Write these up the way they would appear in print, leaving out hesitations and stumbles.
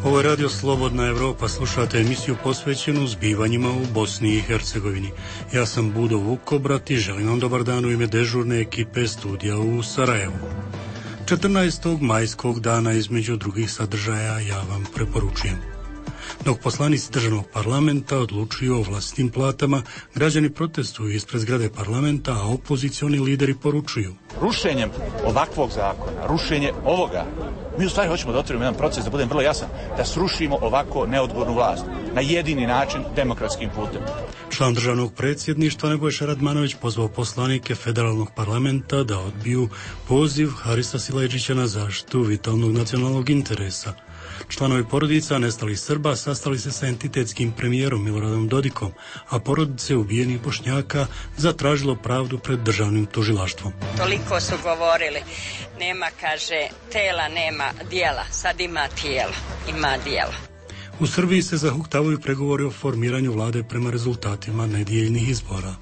Ovo je Radio Slobodna Evropa, slušate emisiju posvećenu zbivanjima u Bosni i Hercegovini. Ja sam Budo Vukobrat i želim vam dobar dan u ime dežurne ekipe studija u Sarajevu. 14. majskog dana između drugih sadržaja ja vam preporučujem. Dok poslanici državnog parlamenta odlučuju o vlastitim platama, građani protestuju ispred zgrade parlamenta, a opozicioni lideri poručuju: rušenjem ovakvog zakona, rušenje ovoga, mi u stvari hoćemo da otvorimo jedan proces, da budem vrlo jasan, da srušimo ovako neodgovornu vlast na jedini način, demokratskim putem. Član državnog predsjedništva Nebojša Radmanović pozvao poslanike federalnog parlamenta da odbiju poziv Harisa Silajdžića na zaštitu vitalnog nacionalnog interesa. Članovi porodica nestalih Srba sastali se sa entitetskim premijerom Miloradom Dodikom, a porodice ubijenih Bošnjaka zatražilo pravdu pred državnim tužilaštvom. Toliko su govorili, nema, kaže, tela, nema dijela, sad ima tijelo, ima dijelo. U Srbiji se zahuktavaju pregovori o formiranju vlade prema rezultatima nedjeljnih izbora.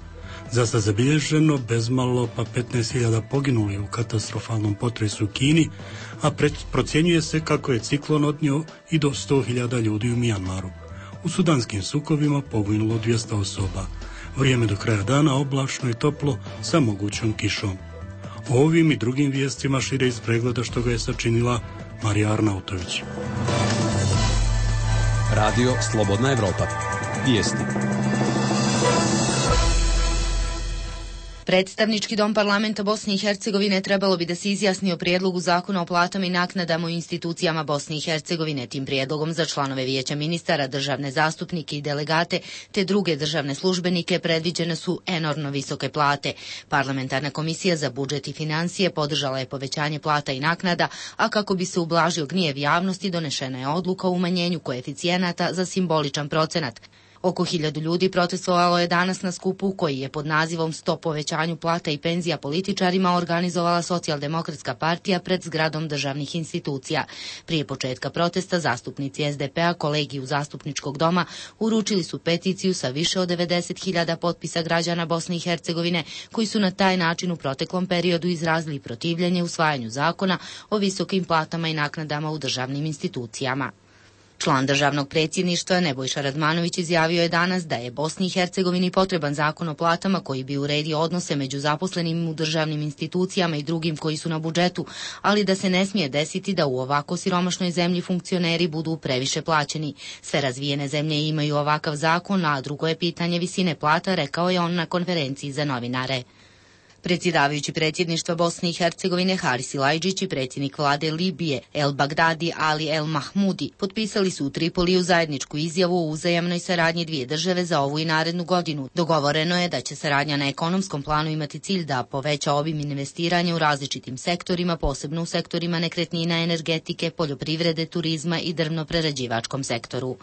Zasad zabilježeno bezmalo pa 15.000 poginuli u katastrofalnom potresu u Kini, a procjenjuje se kako je ciklon odnio i do 100.000 ljudi u Mijanmaru. U sudanskim sukobima poginulo 200 osoba. Vrijeme do kraja dana oblačno i toplo sa mogućom kišom. O ovim i drugim vijestima šire iz pregleda što ga je sačinila Marija Arnautović. Radio Slobodna Evropa. Vijesti. Predstavnički dom parlamenta Bosne i Hercegovine trebalo bi da se izjasni o prijedlogu zakona o platama i naknadama u institucijama Bosne i Hercegovine. Tim prijedlogom za članove vijeća ministara, državne zastupnike i delegate te druge državne službenike predviđene su enormno visoke plate. Parlamentarna komisija za budžet i financije podržala je povećanje plata i naknada, a kako bi se ublažio gnjev javnosti donešena je odluka o umanjenju koeficijenata za simboličan procenat. Oko 1000 ljudi protestovalo je danas na skupu koji je pod nazivom Stop povećanju plata i penzija političarima organizovala Socijaldemokratska partija pred zgradom državnih institucija. Prije početka protesta zastupnici SDP-a kolegiju zastupničkog doma uručili su peticiju sa više od 90.000 potpisa građana Bosne i Hercegovine koji su na taj način u proteklom periodu izrazili protivljenje usvajanju zakona o visokim platama i naknadama u državnim institucijama. Član državnog predsjedništva Nebojša Radmanović izjavio je danas da je Bosni i Hercegovini potreban zakon o platama koji bi uredio odnose među zaposlenim u državnim institucijama i drugim koji su na budžetu, ali da se ne smije desiti da u ovako siromašnoj zemlji funkcioneri budu previše plaćeni. Sve razvijene zemlje imaju ovakav zakon, a drugo je pitanje visine plata, rekao je on na konferenciji za novinare. Predsjedavajući predsjedništva Bosne i Hercegovine Haris Silajdžić i predsjednik vlade Libije El Bagdadi Ali El Mahmudi potpisali su u Tripoliju zajedničku izjavu o uzajamnoj saradnji dvije države za ovu i narednu godinu. Dogovoreno je da će saradnja na ekonomskom planu imati cilj da poveća obim investiranja u različitim sektorima, posebno u sektorima nekretnina, energetike, poljoprivrede, turizma i drvno-prerađivačkom sektoru.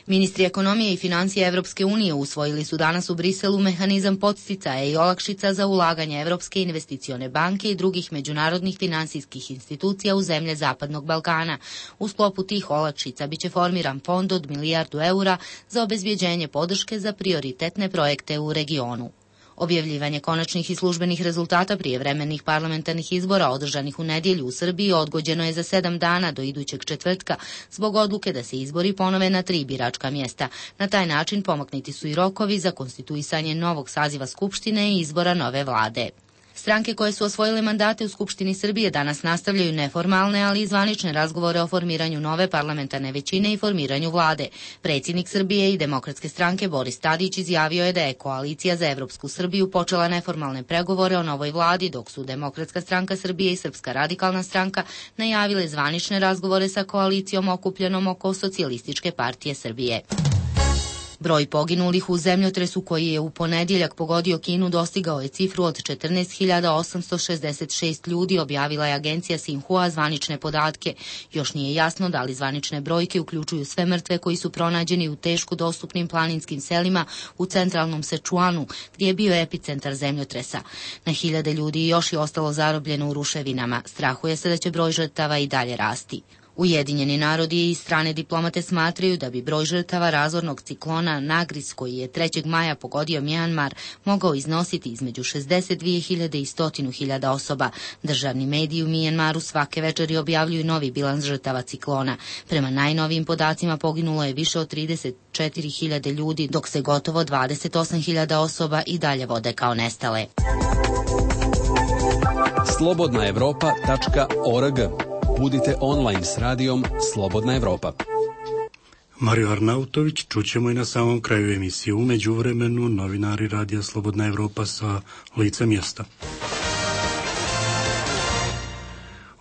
Ministri ekonomije i financija Evropske unije usvojili su danas u Briselu mehanizam podsticaja i olakšica za ulaganje Evropske investicione banke i drugih međunarodnih finansijskih institucija u zemlje Zapadnog Balkana. U sklopu tih olakšica biće formiran fond od 1 milijardu eura za obezbjeđenje podrške za prioritetne projekte u regionu. Objavljivanje konačnih i službenih rezultata prijevremenih parlamentarnih izbora održanih u nedjelju u Srbiji odgođeno je za 7 dana do idućeg četvrtka zbog odluke da se izbori ponove na 3 biračka mjesta. Na taj način pomaknuti su i rokovi za konstituisanje novog saziva Skupštine i izbora nove vlade. Stranke koje su osvojile mandate u Skupštini Srbije danas nastavljaju neformalne, ali i zvanične razgovore o formiranju nove parlamentarne većine i formiranju vlade. Predsjednik Srbije i Demokratske stranke Boris Tadić izjavio je da je Koalicija za Evropsku Srbiju počela neformalne pregovore o novoj vladi, dok su Demokratska stranka Srbije i Srpska radikalna stranka najavile zvanične razgovore sa koalicijom okupljenom oko Socijalističke partije Srbije. Broj poginulih u zemljotresu koji je u ponedjeljak pogodio Kinu dostigao je cifru od 14.866 ljudi, objavila je agencija Sinhua zvanične podatke. Još nije jasno da li zvanične brojke uključuju sve mrtve koji su pronađeni u teško dostupnim planinskim selima u centralnom Sečuanu, gdje je bio epicentar zemljotresa. Na hiljade ljudi još je ostalo zarobljeno u ruševinama. Strahuje se da će broj žrtava i dalje rasti. Ujedinjeni narodi i strane diplomate smatraju da bi broj žrtava razornog ciklona Nagris, koji je 3. maja pogodio Mjanmar, mogao iznositi između 62.000 i 100.000 osoba. Državni mediji u Mjanmaru svake večeri objavljuju novi bilans žrtava ciklona. Prema najnovijim podacima poginulo je više od 34.000 ljudi, dok se gotovo 28.000 osoba i dalje vode kao nestale. slobodnaevropa.org. Budite online s radijom Slobodna Evropa. Mario Arnautović čućemo i na samom kraju emisije. U međuvremenu novinari radija Slobodna Evropa sa lica mjesta.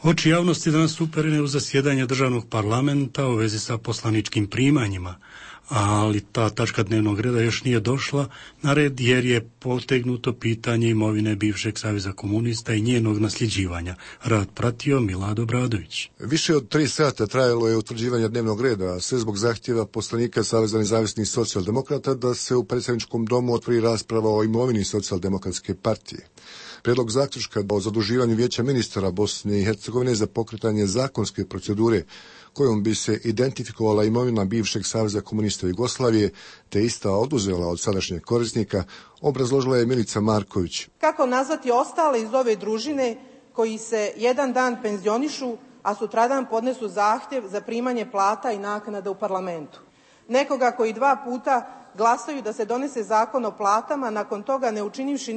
Oči javnosti danas uperene u zasjedanje državnog parlamenta u vezi sa poslaničkim primanjima, ali ta tačka dnevnog reda još nije došla na red jer je potegnuto pitanje imovine bivšeg Saveza komunista i njenog nasljeđivanja. Rad pratio Milado Bradović. Više od 3 sata trajalo je utvrđivanje dnevnog reda, a sve zbog zahtjeva poslanika Saveza nezavisnih socijaldemokrata da se u predsjedničkom domu otvori rasprava o imovini Socijaldemokratske partije. Prijedlog zaključka o zaduživanju Vijeća ministara Bosne i Hercegovine za pokretanje zakonske procedure kojom bi se identifikovala imovina bivšeg Saveza komunista Jugoslavije te ista oduzela od sadašnjeg korisnika, obrazložila je Milica Marković. Kako nazvati ostale iz ove družine koji se jedan dan penzionišu, a sutradan podnesu zahtjev za primanje plata i naknada u parlamentu? Nekoga koji 2 puta glasaju da se donese zakon o platama, nakon toga ne učinivši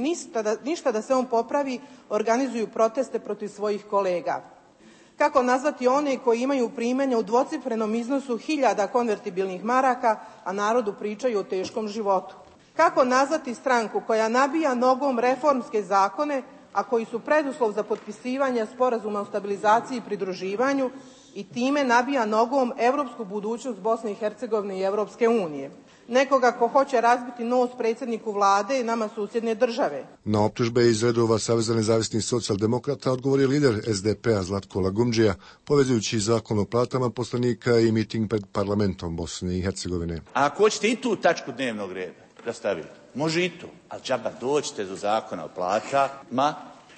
ništa da se on popravi, organizuju proteste protiv svojih kolega. Kako nazvati one koji imaju primanja u dvocifrenom iznosu 1000 konvertibilnih maraka, a narodu pričaju o teškom životu? Kako nazvati stranku koja nabija nogom reformske zakone, a koji su preduslov za potpisivanje sporazuma o stabilizaciji i pridruživanju i time nabija nogom evropsku budućnost Bosne i Hercegovine i Evropske unije? Nekoga ko hoće razbiti nos predsjedniku vlade i nama susjedne države. Na optužbe iz redova Saveza nezavisnih socijaldemokrata odgovorio lider SDP-a Zlatko Lagumdžija, povezujući zakon o platama poslanika i miting pred parlamentom Bosne i Hercegovine. A ako hoćete i tu tačku dnevnog reda da stavite, može i tu, ali džaba dođite do zakona o platama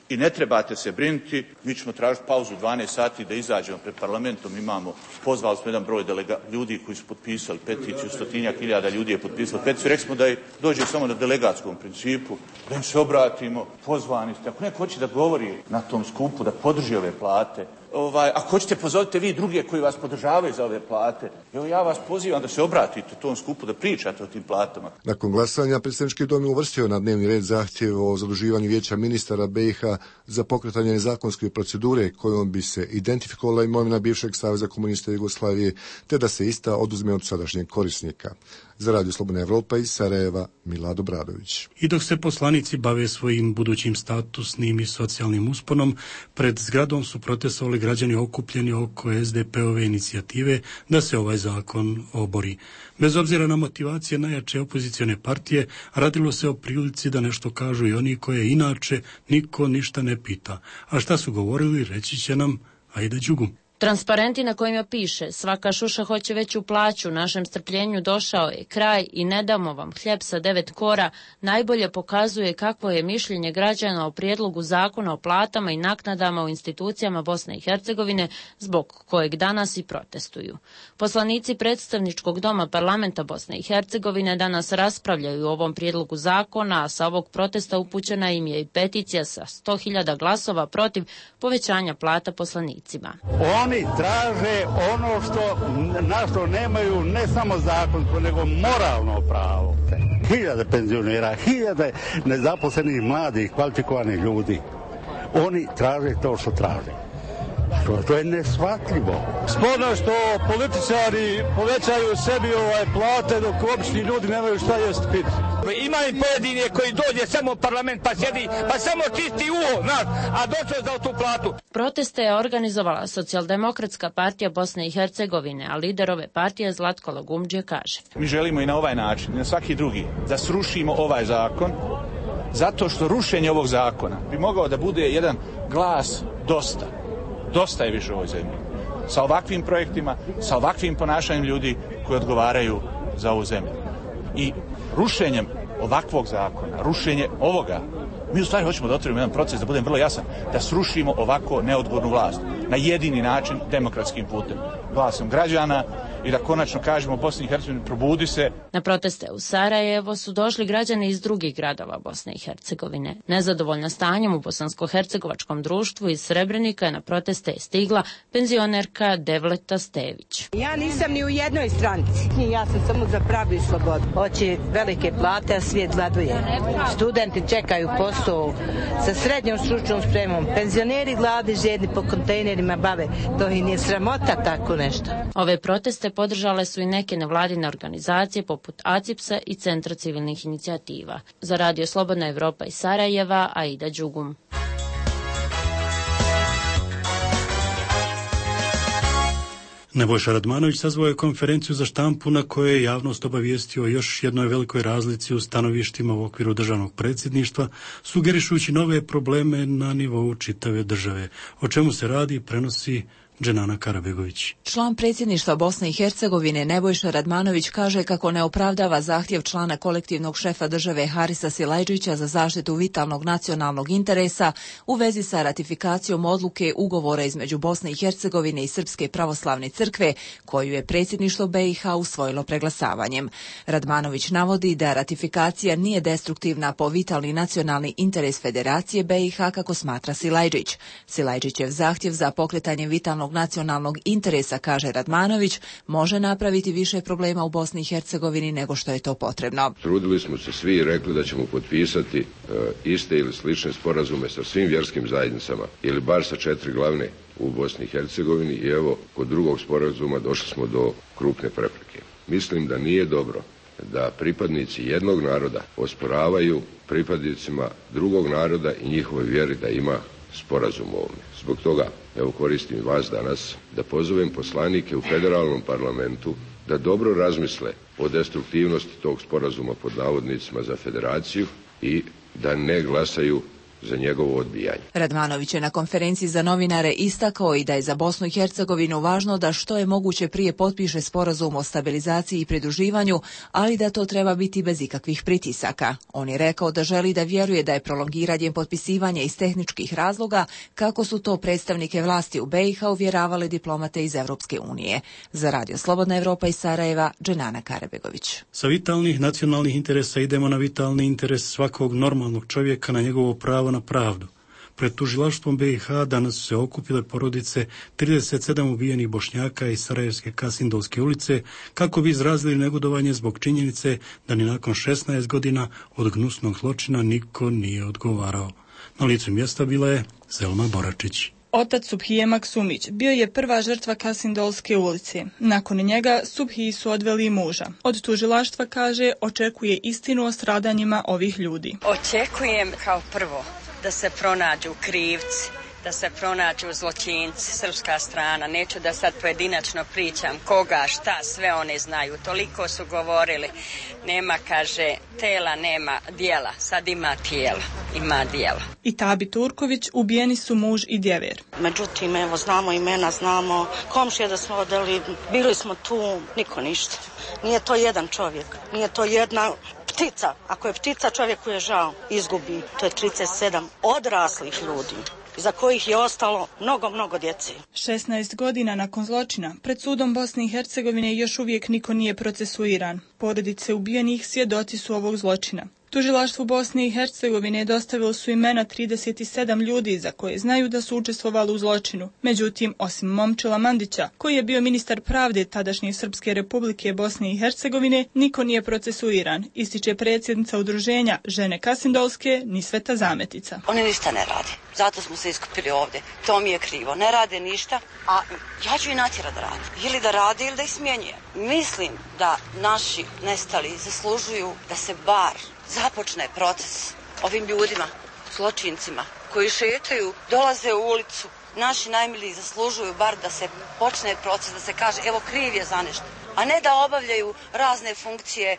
i ne trebate se brinuti, mi ćemo tražiti pauzu 12 sati da izađemo pred parlamentom, pozvali smo jedan broj ljudi koji su potpisali peticiju, 100.000 ljudi je potpisalo peticiju, rekli smo da dođe samo na delegatskom principu, da im se obratimo, pozvani ste, ako neko hoće da govori na tom skupu, da podrži ove plate, ako hoćete pozovite vi druge koji vas podržavaju za ove plate. Evo ja vas pozivam da se obratite tom skupu, da pričate o tim platama. Nakon glasanja predsjednički dom je uvrstio na dnevni red zahtjev o zaduživanju Vijeća ministara BiH za pokretanje zakonske procedure kojom bi se identifikovala imovina bivšeg Saveza komunista Jugoslavije te da se ista oduzme od sadašnjeg korisnika. Za Radio Slobodna Evropa iz Sarajeva, Milado Bradović. I dok se poslanici bave svojim budućim statusnim i socijalnim usponom, pred zgradom su protestovali građani okupljeni oko SDP-ove inicijative da se ovaj zakon obori. Bez obzira na motivacije najjače opozicione partije, radilo se o prilici da nešto kažu i oni koje inače niko ništa ne pita. A šta su govorili, reći će nam Aida Đugum. Transparenti na kojima piše svaka šuša hoće veću plaću, našem strpljenju došao je kraj i ne damo vam hljeb sa 9 kora, najbolje pokazuje kakvo je mišljenje građana o prijedlogu zakona o platama i naknadama u institucijama Bosne i Hercegovine, zbog kojeg danas i protestuju. Poslanici predstavničkog doma parlamenta Bosne i Hercegovine danas raspravljaju o ovom prijedlogu zakona, a sa ovog protesta upućena im je i peticija sa 100.000 glasova protiv povećanja plata poslanicima. Oni traže ono na što nemaju ne samo zakonsko, nego moralno pravo. 1000 penzionera, 1000 nezaposlenih mladih, kvalifikovanih ljudi. Oni traže to što traže. To je neshvatljivo. Sporno što političari povećaju sebi plate dok obični ljudi nemaju šta jest piti. Ima i pojedine koji dođe samo u parlament pa sjedi, pa samo čisti uho, a došao za tu platu. Proteste je organizovala Socijaldemokratska partija Bosne i Hercegovine, a lider ove partije Zlatko Lagumdžija kaže. Mi želimo i na ovaj način, i na svaki drugi, da srušimo ovaj zakon, zato što rušenje ovog zakona bi mogao da bude jedan glas dosta. Dosta je više u ovoj zemlji. Sa ovakvim projektima, sa ovakvim ponašanjem ljudi koji odgovaraju za ovu zemlju. I rušenjem ovakvog zakona, rušenje ovoga, Mi u stvari hoćemo da otvorimo jedan proces, da budem vrlo jasan, da srušimo ovako neodgovornu vlast na jedini način, demokratskim putem, glasom građana, i da konačno kažemo Bosni i Hercegovini probudi se. Na proteste u Sarajevo su došli građani iz drugih gradova Bosne i Hercegovine. Nezadovoljna stanjem u bosansko-hercegovačkom društvu iz Srebrenika na proteste je stigla penzionerka Devleta Stević. Ja nisam ni u jednoj stranci. Ja sam samo za pravdu i slobodu. Hoće velike plate, a svijet gladuje. Studenti čekaju posao sa srednjom stručnom spremom. Penzioneri gladi žedni po kontejnerima bave. To i nije sramota tako nešto. Ove proteste podržale su i neke nevladine organizacije poput ACIPS-a i Centra civilnih inicijativa. Za Radio Slobodna Evropa iz Sarajeva, Aida Đugum. Nebojša Radmanović sazvao je konferenciju za štampu na kojoj je javnost obavijestio o još jednoj velikoj razlici u stanovištima u okviru državnog predsjedništva, sugerišujući nove probleme na nivou čitave države. O čemu se radi, prenosi Dženana Karabegović. Član predsjedništva Bosne i Hercegovine Nebojša Radmanović kaže kako ne opravdava zahtjev člana kolektivnog šefa države Harisa Silajdžića za zaštitu vitalnog nacionalnog interesa u vezi sa ratifikacijom odluke ugovora između Bosne i Hercegovine i Srpske pravoslavne crkve, koju je predsjedništvo BiH usvojilo preglasavanjem. Radmanović navodi da ratifikacija nije destruktivna po vitalni nacionalni interes Federacije BiH, kako smatra Silajdžić. Silajdžićev zahtjev za pokretanje vitalnog nacionalnog interesa, kaže Radmanović, može napraviti više problema u Bosni i Hercegovini nego što je to potrebno. Trudili smo se svi i rekli da ćemo potpisati iste ili slične sporazume sa svim vjerskim zajednicama ili bar sa 4 glavne u Bosni i Hercegovini i evo, kod drugog sporazuma došli smo do krupne prepreke. Mislim da nije dobro da pripadnici jednog naroda osporavaju pripadnicima drugog naroda i njihove vjeri da ima sporazum o ovome. Zbog toga, evo, koristim vas danas da pozovem poslanike u federalnom parlamentu da dobro razmisle o destruktivnosti tog sporazuma pod navodnicima za federaciju i da ne glasaju za njegovo odbijanje. Radmanović je na konferenciji za novinare istakao i da je za Bosnu i Hercegovinu važno da što je moguće prije potpiše sporazum o stabilizaciji i pridruživanju, ali da to treba biti bez ikakvih pritisaka. On je rekao da želi da vjeruje da je prolongiranjem potpisivanja iz tehničkih razloga, kako su to predstavnike vlasti u BiH uvjeravale diplomate iz Europske unije. Za Radio Slobodna Evropa iz Sarajeva, Dženana Karabegović. Sa vitalnih nacionalnih interesa idemo na vitalni interes svakog normalnog čovjeka, na njegovo pravo na pravdu. Pred tužilaštvom BiH danas su se okupile porodice 37 ubijenih Bošnjaka iz Sarajevske Kasindolske ulice kako bi izrazili negodovanje zbog činjenice da ni nakon 16 godina od gnusnog zločina niko nije odgovarao. Na licu mjesta bila je Selma Boračić. Otac Subhije Maksumić bio je prva žrtva Kasindolske ulice. Nakon njega Subhiji su odveli muža. Od tužilaštva, kaže, očekuje istinu o stradanjima ovih ljudi. Očekujem kao prvo da se pronađu krivci, da se pronađu zločinci, srpska strana. Neću da sad pojedinačno pričam koga, šta, sve one znaju. Toliko su govorili. Nema, kaže, tela, nema dijela. Sad ima tijela, ima dijela. I Tabi Turković ubijeni su muž i djever. Međutim, evo, znamo imena, znamo komšije da smo odeli, bili smo tu, niko ništa. Nije to jedan čovjek, nije to jedna ptica. Ako je ptica, čovjeku je žao, izgubi. To je 37 odraslih ljudi, za kojih je ostalo mnogo djece. 16 godina nakon zločina, pred sudom Bosne i Hercegovine još uvijek niko nije procesuiran. Porodice ubijenih svjedoci su ovog zločina. Tužilaštvu Bosne i Hercegovine dostavili su imena 37 ljudi za koje znaju da su učestvovali u zločinu. Međutim, osim Momčila Mandića, koji je bio ministar pravde tadašnje Srpske republike Bosne i Hercegovine, niko nije procesuiran, ističe predsjednica udruženja Žene Kasindolske Nisveta Zametica. Oni ništa ne rade, zato smo se iskupili ovdje. To mi je krivo, ne rade ništa, a ja ću i natjerati da rade. Ili da rade ili da ih smjenjujem. Mislim da naši nestali zaslužuju da se bar započne proces ovim ljudima, zločincima, koji šetaju, dolaze u ulicu, naši najmiliji zaslužuju bar da se počne proces, da se kaže evo kriv je za nešto, a ne da obavljaju razne funkcije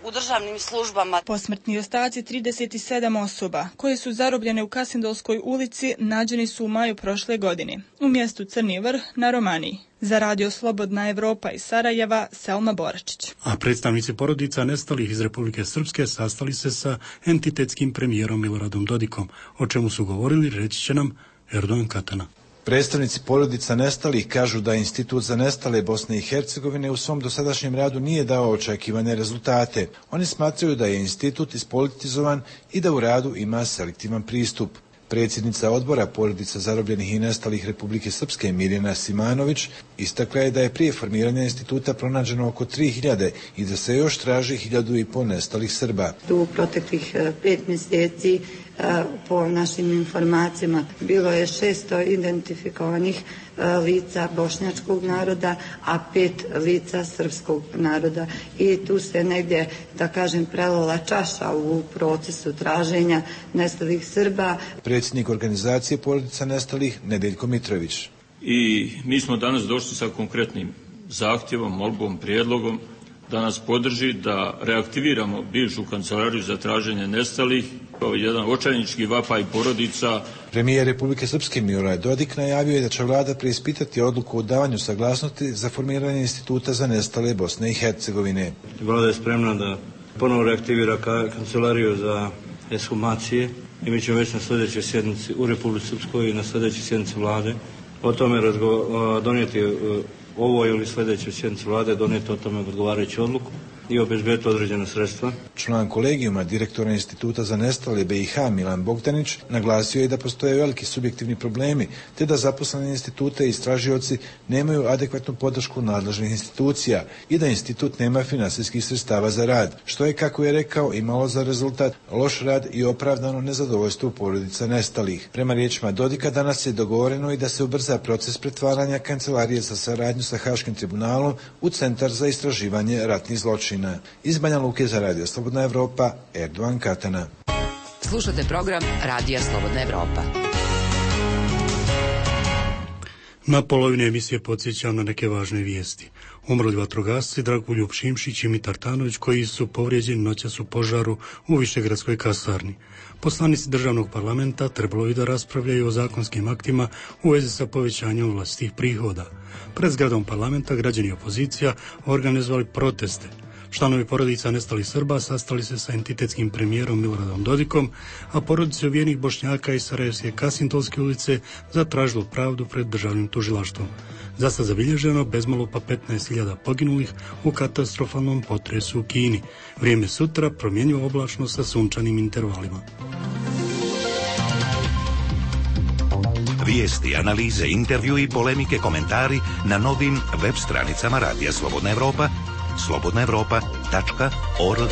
u državnim službama. Posmrtni ostaci 37 osoba koje su zarobljene u Kasindolskoj ulici nađeni su u maju prošle godine u mjestu Crni Vrh na Romaniji. Za Radio Slobodna Evropa iz Sarajeva, Selma Boračić. A predstavnici porodica nestalih iz Republike Srpske sastali se sa entitetskim premijerom Miloradom Dodikom, o čemu su govorili, reći će nam Erdogan Katana. Predstavnici porodica nestalih kažu da Institut za nestale Bosne i Hercegovine u svom dosadašnjem radu nije dao očekivane rezultate. Oni smatraju da je institut ispolitizovan i da u radu ima selektivan pristup. Predsjednica odbora porodica zarobljenih i nestalih Republike Srpske Mirjana Simanović istakla je da je prije formiranja instituta pronađeno oko 3000 i da se još traži 1500 nestalih Srba. U proteklih 5 mjeseci po našim informacijama bilo je 600 identifikovanih lica bošnjačkog naroda, a 5 lica srpskog naroda. I tu se negdje, da kažem, prelila čaša u procesu traženja nestalih Srba. Predsjednik organizacije porodica nestalih Nedeljko Mitrović. I mi smo danas došli sa konkretnim zahtjevom, molbom, prijedlogom da nas podrži da reaktiviramo bivšu kancelariju za traženje nestalih, kao jedan očajnički vapaj porodica. Premijer Republike Srpske Milorad Dodik najavio je da će vlada preispitati odluku o davanju saglasnosti za formiranje instituta za nestale Bosne i Hercegovine. Vlada je spremna da ponovo reaktivira kancelariju za ekshumacije i mi ćemo već na sljedećoj sjednici u Republici Srpskoj i na sljedećoj sjednici vlade o tome donijeti ovoj ili sljedećoj sjednici vlade donijeti o tome odgovarajuću odluku i obezbediti određena sredstva. Član kolegijuma direktora Instituta za nestale BiH Milan Bogdanić naglasio je da postoje veliki subjektivni problemi, te da zaposleni institute i istražioci nemaju adekvatnu podršku nadležnih institucija i da institut nema finansijskih sredstava za rad, što je, kako je rekao, imalo za rezultat loš rad i opravdano nezadovoljstvo porodica nestalih. Prema riječima Dodika, danas je dogovoreno i da se ubrza proces pretvaranja kancelarije za saradnju sa Haškim tribunalom u Centar za istraživanje ratnih zločina. Iz Banja Luke za Radio Slobodna Evropa, Erdogan Katana. Slušate program Radija Slobodna Evropa. Na polovini emisije podsjećam na neke važne vijesti. Umrli vatrogasci Dragoljub Šimšić i Mitar Tanović, koji su povrijeđeni noćas u požaru u Višegradskoj kasarni. Poslanici državnog parlamenta trebalo bi da raspravljaju o zakonskim aktima u vezi sa povećanjem vlastitih prihoda. Pred zgradom parlamenta građani i opozicija organizovali proteste. Članovi porodica nestalih Srba sastali se sa entitetskim premijerom Miloradom Dodikom, a porodice ubijenih Bošnjaka iz Sarajevske Kasintolske ulice zatražilo pravdu pred državnim tužilaštvom. Zasad zabilježeno bezmalo pa 15.000 poginulih u katastrofalnom potresu u Kini. Vrijeme sutra promjenjivo oblačno sa sunčanim intervalima. Vijesti, analize, intervju i polemike, komentari na novim web stranicama Radija Slobodna Evropa, slobodnaevropa.org.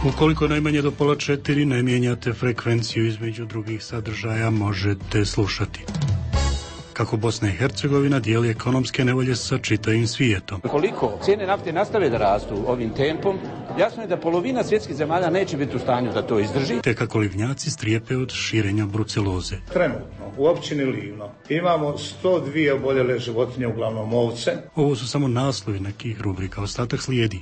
Ukoliko najmanje do 3:30 ne mijenjate frekvenciju između drugih sadržaja, možete slušati kako Bosna i Hercegovina dijeli ekonomske nevolje sa čitavim svijetom. Koliko cijene nafte nastave da rastu ovim tempom, jasno je da polovina svjetskih zemalja neće biti u stanju da to izdrži. Te kako livnjaci strijepe od širenja bruceloze. Trenutno u općini Livno imamo 102 oboljele životinje, uglavnom ovce. Ovo su samo naslovi nekih rubrika, ostatak slijedi.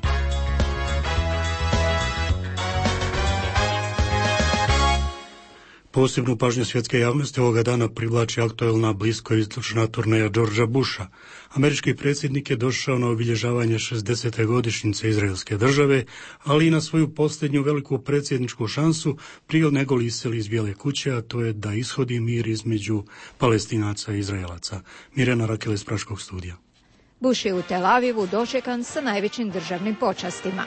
Posebnu pažnju svjetske javnosti ovoga dana privlači aktuelna bliskoistočna turneja Georgea Busha. Američki predsjednik je došao na obilježavanje 60. godišnjice Izraelske države, ali i na svoju posljednju veliku predsjedničku šansu prije nego li iseli iz Bijele kuće, a to je da ishodi mir između Palestinaca i Izraelaca. Mirjana Rakela iz Praškog studija. Bush je u Tel Avivu dočekan sa najvećim državnim počastima.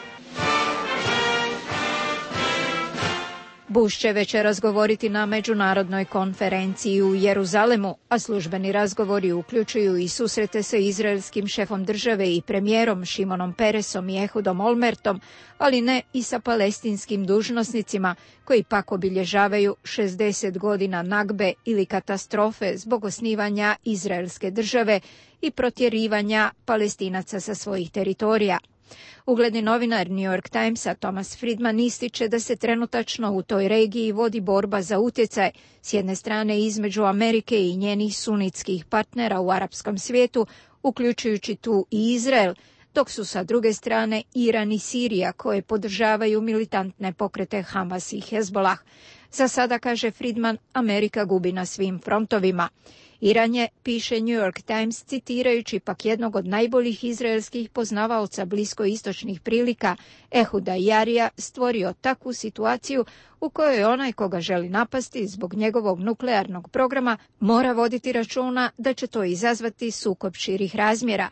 Bush će večeras govoriti na međunarodnoj konferenciji u Jeruzalemu, a službeni razgovori uključuju i susrete sa izraelskim šefom države i premijerom Šimonom Peresom i Ehudom Olmertom, ali ne i sa palestinskim dužnosnicima koji pak obilježavaju 60 godina nagbe ili katastrofe zbog osnivanja izraelske države i protjerivanja Palestinaca sa svojih teritorija. Ugledni novinar New York Timesa Thomas Friedman ističe da se trenutačno u toj regiji vodi borba za utjecaj, s jedne strane između Amerike i njenih sunitskih partnera u arapskom svijetu, uključujući tu i Izrael, dok su sa druge strane Iran i Sirija koje podržavaju militantne pokrete Hamas i Hezbollah. Za sada, kaže Friedman, Amerika gubi na svim frontovima. Iran je, piše New York Times, citirajući pak jednog od najboljih izraelskih poznavaoca bliskoistočnih prilika, Ehuda Jarija, stvorio takvu situaciju u kojoj onaj koga želi napasti zbog njegovog nuklearnog programa mora voditi računa da će to izazvati sukob širih razmjera.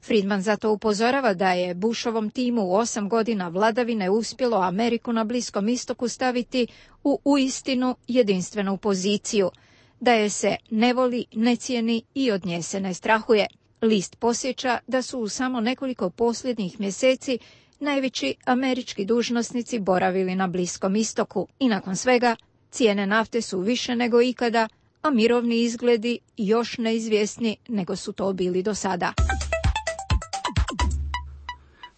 Friedman zato upozorava da je Bushovom timu u 8 godina vladavine uspjelo Ameriku na Bliskom istoku staviti u uistinu jedinstvenu poziciju, da je se ne voli, ne cijeni i od nje se ne strahuje. List podsjeća da su u samo nekoliko posljednjih mjeseci najveći američki dužnosnici boravili na Bliskom istoku i nakon svega cijene nafte su više nego ikada, a mirovni izgledi još neizvjesni nego su to bili do sada.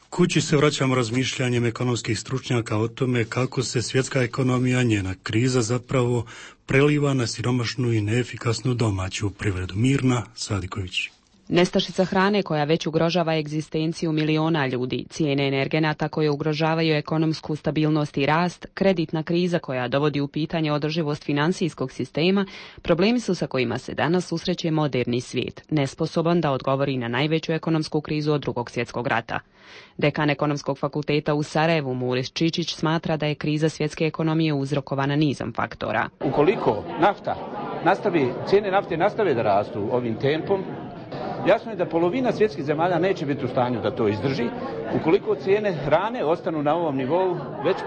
Kući se vraćamo razmišljanjem ekonomskih stručnjaka o tome kako se svjetska ekonomija, njena kriza zapravo preliva na siromašnu i neefikasnu domaću privredu. Mirna Sadiković. Nestašica hrane koja već ugrožava egzistenciju miliona ljudi, cijene energenata koje ugrožavaju ekonomsku stabilnost i rast, kreditna kriza koja dovodi u pitanje održivost financijskog sistema, problemi su sa kojima se danas susreće moderni svijet, nesposoban da odgovori na najveću ekonomsku krizu od Drugog svjetskog rata. Dekan Ekonomskog fakulteta u Sarajevu, Muris Čičić, smatra da je kriza svjetske ekonomije uzrokovana nizom faktora. Ukoliko cijene nafte nastave da rastu ovim tempom, jasno je da polovina svjetskih zemalja neće biti u stanju da to izdrži. Ukoliko cijene hrane ostanu na ovom nivou, već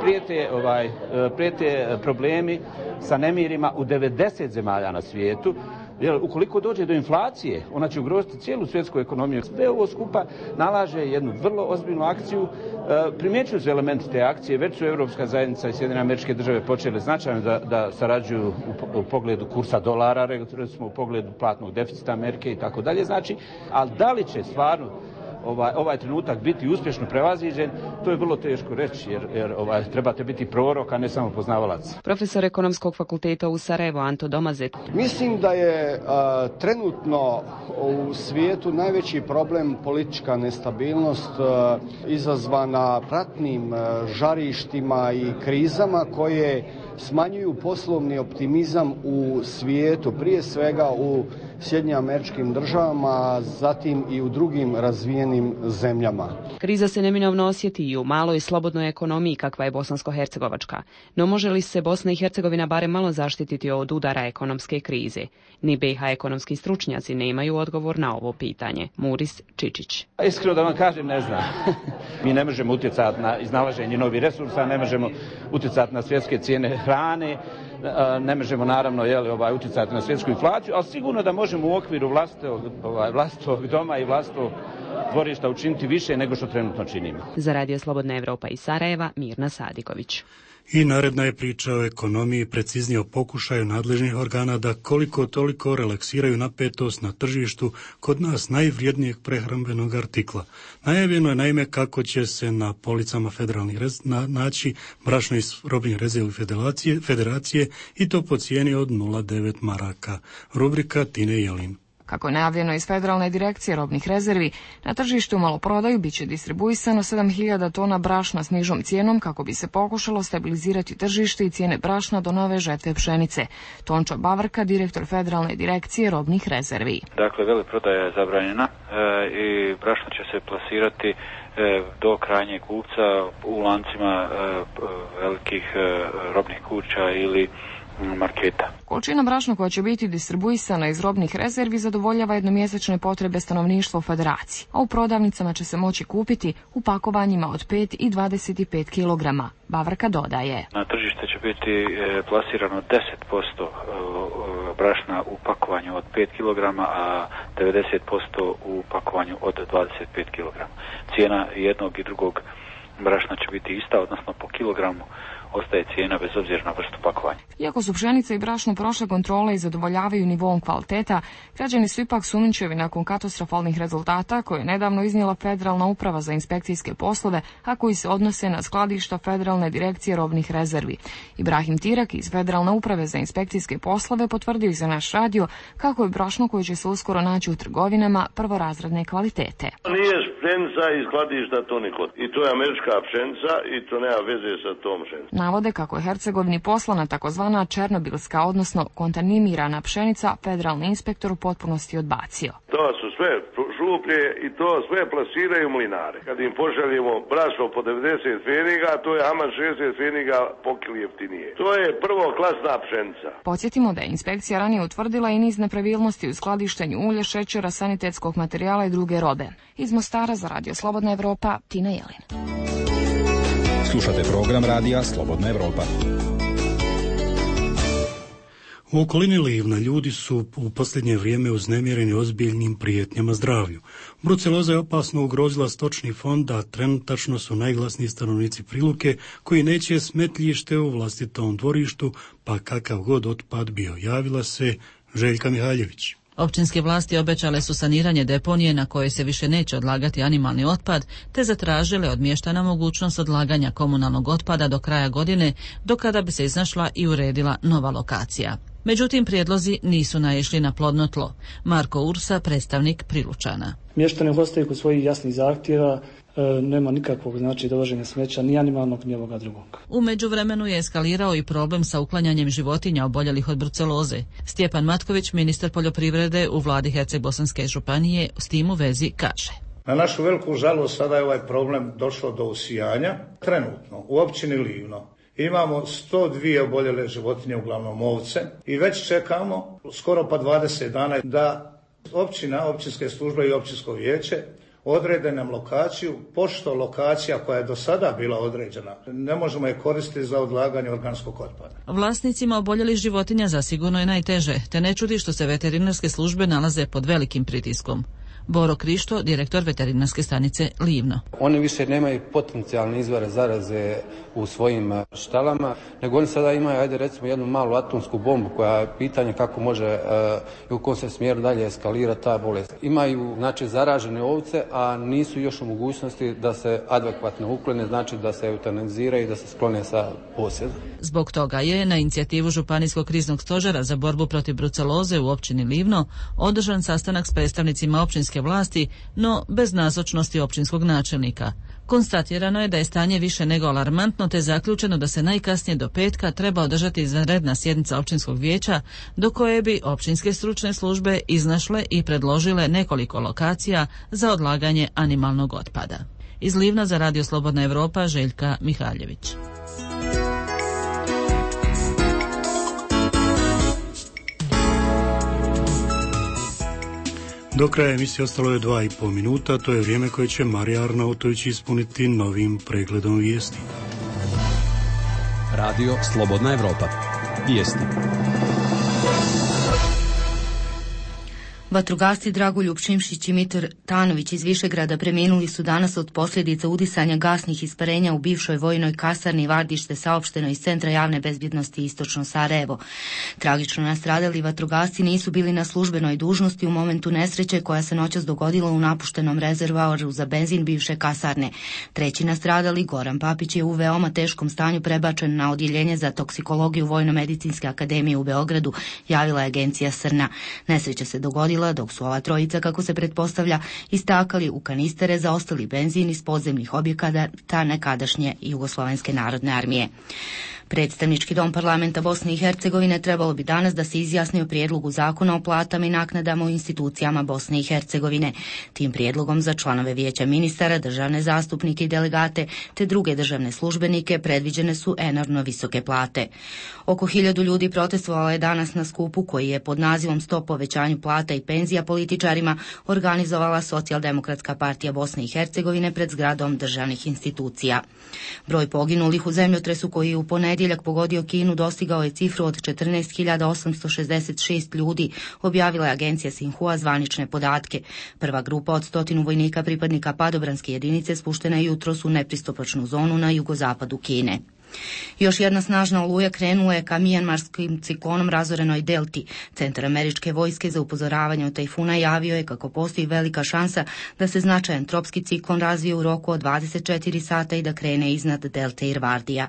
prijete problemi sa nemirima u 90 zemalja na svijetu. Jer ukoliko dođe do inflacije, ona će ugroziti cijelu svjetsku ekonomiju. Sve ovo skupa nalaže jednu vrlo ozbiljnu akciju. Primjećuju se elementi te akcije, već su Europska zajednica i Sjedinjene Američke Države počele značajno da sarađuju u pogledu kursa dolara, recimo u pogledu platnog deficita Amerike i tako dalje. Znači, ali da li će stvarno ovaj trenutak biti uspješno prevaziđen, to je vrlo teško reći, jer trebate biti prorok, a ne samo poznavalac. Profesor Ekonomskog fakulteta u Sarajevu Anto Domazet. Mislim da je trenutno u svijetu najveći problem politička nestabilnost izazvana ratnim žarištima i krizama koje smanjuju poslovni optimizam u svijetu, prije svega u Sjedinjenim Američkim Državama, zatim i u drugim razvijenim zemljama. Kriza se neminovno osjeti i u maloj slobodnoj ekonomiji kakva je bosansko-hercegovačka. No može li se Bosna i Hercegovina barem malo zaštititi od udara ekonomske krize? Ni BiH ekonomski stručnjaci nemaju odgovor na ovo pitanje. Muris Čičić. Iskreno da vam kažem, ne znam. Mi ne možemo utjecati na iznalaženje novih resursa, ne možemo utjecati na svjetske cijene hrane, ne možemo naravno utjecati na svjetsku inflaciju, ali sigurno da možemo u okviru vlastitog doma i vlastitog dvorišta učiniti više nego što trenutno činimo. Za Radio Slobodna Evropa iz Sarajeva, Mirna Sadiković. I naredna je priča o ekonomiji, preciznije o pokušaju nadležnih organa da koliko toliko relaksiraju napetost na tržištu kod nas najvrijednijeg prehrambenog artikla. Najavljeno je naime kako će se na policama federalnih naći brašno iz robnih rezervi federacije i to po cijeni od 0,9 maraka. Rubrika Tine Jelin. Kako je najavljeno iz Federalne direkcije robnih rezervi, na tržištu u maloprodaju bit će distribuisano 7.000 tona brašna s nižom cijenom kako bi se pokušalo stabilizirati tržište i cijene brašna do nove žetve pšenice. Tončo Bavrka, direktor Federalne direkcije robnih rezervi. Dakle, veleprodaja je zabranjena i brašno će se plasirati do krajnjeg kupca u lancima velikih robnih kuća ili marketa. Količina brašna koja će biti distribuisana iz robnih rezervi zadovoljava jednomjesečne potrebe stanovništva u federaciji, a u prodavnicama će se moći kupiti u pakovanjima od 5 i 25 kg. Bavrka dodaje. Na tržište će biti plasirano 10% brašna u pakovanju od 5 kg, a 90% u pakovanju od 25 kg. Cijena jednog i drugog brašna će biti ista, odnosno po kilogramu ostaje cijena bez obzira na vrstu pakovanja. Iako su pšenica i brašno prošle kontrole i zadovoljavaju nivom kvaliteta, građani su ipak sumnjičavi nakon katastrofalnih rezultata koje je nedavno iznijela Federalna uprava za inspekcijske poslove, a koji se odnose na skladišta Federalne direkcije robnih rezervi. Ibrahim Tirak iz Federalne uprave za inspekcijske poslove potvrdio i za naš radio kako je brašno koje će se uskoro naći u trgovinama prvorazredne kvalitete. Nije pšenica iz skladišta to niko. I to je američka pšenica i to nema veze sa tom pšenicom. Navode kako je Hercegovini poslana takozvana černobilska, odnosno kontaminirana pšenica, federalni inspektor u potpunosti odbacio. To su sve šuplje i to sve plasiraju mlinare. Kad im pošaljemo brašno po 90 pfeniga, to je aman 60 pfeniga po kili jeftinije. To je prvoklasna pšenica. Podsjetimo da je inspekcija ranije utvrdila i niz nepravilnosti u skladištenju ulja, šećera, sanitetskog materijala i druge robe. Iz Mostara za Radio Slobodna Evropa, Tina Jelin. Slušate program Radija Slobodna Evropa. U okolini Livna ljudi su u posljednje vrijeme uznemireni ozbiljnim prijetnjama zdravlju. Bruceloza je opasno ugrozila stočni fond, a trenutačno su najglasniji stanovnici Priluke koji neće smetljište u vlastitom dvorištu, pa kakav god otpad bio. Javila se Željka Mihaljević. Općinske vlasti obećale su saniranje deponije na kojoj se više neće odlagati animalni otpad, te zatražile od mještana mogućnost odlaganja komunalnog otpada do kraja godine, do kada bi se iznašla i uredila nova lokacija. Međutim, prijedlozi nisu naišli na plodno tlo. Marko Ursa, predstavnik Prilučana. Mještani ostaju kod svojih jasnih zahtjeva, nema nikakvog dovoženja smeća, ni animalnog, ni ovoga drugog. U međuvremenu je eskalirao i problem sa uklanjanjem životinja oboljelih od bruceloze. Stjepan Matković, ministar poljoprivrede u vladi Herceg-Bosanske županije, s tim u vezi kaže. Na našu veliku žalost sada je ovaj problem došlo do usijanja. Trenutno u općini Livno imamo 102 oboljele životinje, uglavnom ovce, i već čekamo skoro pa 20 dana da općina, općinske službe i općinsko vijeće odrede nam lokaciju, pošto lokacija koja je do sada bila određena ne možemo je koristiti za odlaganje organskog otpada. Vlasnicima oboljelih životinja zasigurno je najteže, te ne čudi što se veterinarske službe nalaze pod velikim pritiskom. Boro Krišto, direktor veterinarske stanice Livno. Oni više nemaju potencijalne izvore zaraze u svojim štalama, nego oni sada imaju, recimo, jednu malu atomsku bombu koja je pitanje kako može i u kom se smjeru dalje eskalira ta bolest. Imaju, zaražene ovce, a nisu još u mogućnosti da se adekvatno uklone, da se eutanaziraju i da se sklone sa posjeda. Zbog toga je na inicijativu Županijskog kriznog stožera za borbu protiv bruceloze u općini Livno održan sastanak s predstavnicima općinske vlasti, no bez nazočnosti općinskog načelnika. Konstatirano je da je stanje više nego alarmantno, te zaključeno da se najkasnije do petka treba održati izvanredna sjednica općinskog vijeća, do koje bi općinske stručne službe iznašle i predložile nekoliko lokacija za odlaganje animalnog otpada. Iz Livna za Radio Slobodna Evropa, Željka Mihaljević. Do kraja emisije ostalo je 2,5 minuta, to je vrijeme koje će Marija Arnautović ispuniti novim pregledom vijesti. Radio Slobodna Evropa. Vijesti. Vatrogasci Dragoljub Šimšić i Mitar Tanović iz Višegrada preminuli su danas od posljedica udisanja gasnih isparenja u bivšoj vojnoj kasarni Vardište, saopšteno iz Centra javne bezbjednosti Istočno Sarajevo. Tragično nastradali vatrogasci nisu bili na službenoj dužnosti u momentu nesreće koja se noćas dogodila u napuštenom rezervoaru za benzin bivše kasarne. Treći nastradali, Goran Papić, je u veoma teškom stanju prebačen na odjeljenje za toksikologiju Vojno-medicinske akademije u Beogradu, javila je agencija Srna. Nesreća se dogodila dok su ova trojica, kako se pretpostavlja, istakali u kanistere za ostali benzin iz podzemnih objekata nekadašnje Jugoslovenske narodne armije. Predstavnički dom parlamenta Bosne i Hercegovine trebalo bi danas da se izjasni o prijedlogu zakona o platama i naknadama u institucijama Bosne i Hercegovine. Tim prijedlogom za članove vijeća ministara, državne zastupnike i delegate te druge državne službenike predviđene su enormno visoke plate. Oko 1000 ljudi protestovalo je danas na skupu koji je pod nazivom Stop povećanju plata i penzija političarima organizovala Socijaldemokratska partija Bosne i Hercegovine pred zgradom državnih institucija. Broj poginulih u zemljotresu koji je u ponedjeljak ponedjeljak pogodio Kinu dostigao je cifru od 14.866 ljudi, objavila je agencija Sinhua zvanične podatke. Prva grupa od 100 vojnika pripadnika padobranske jedinice spuštena je jutros u nepristupačnu zonu na jugozapadu Kine. Još jedna snažna oluja krenula je ka mijanmarskim ciklonom razorenoj delti. Centar američke vojske za upozoravanje od tajfuna javio je kako postoji velika šansa da se značajan tropski ciklon razvije u roku od 24 sata i da krene iznad delte Irvardija.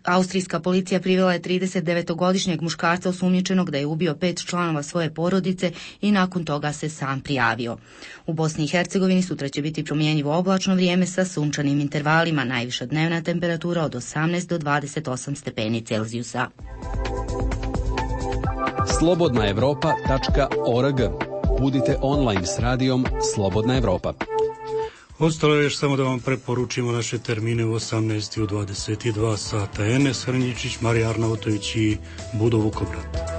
Austrijska policija privela je 39-godišnjeg muškarca osumnjičenog da je ubio 5 članova svoje porodice i nakon toga se sam prijavio. U Bosni i Hercegovini sutra će biti promjenjivo oblačno vrijeme sa sunčanim intervalima, najviša dnevna temperatura od 18 do 28 stepeni Celzijusa. Slobodnaevropa.org. Budite online s radijom Slobodna Evropa. Ostalo je još samo da vam preporučimo naše termine u 18 i u 22 sata. Enes Hrnjičić, Marija Arnautović i Budo Vukobrad.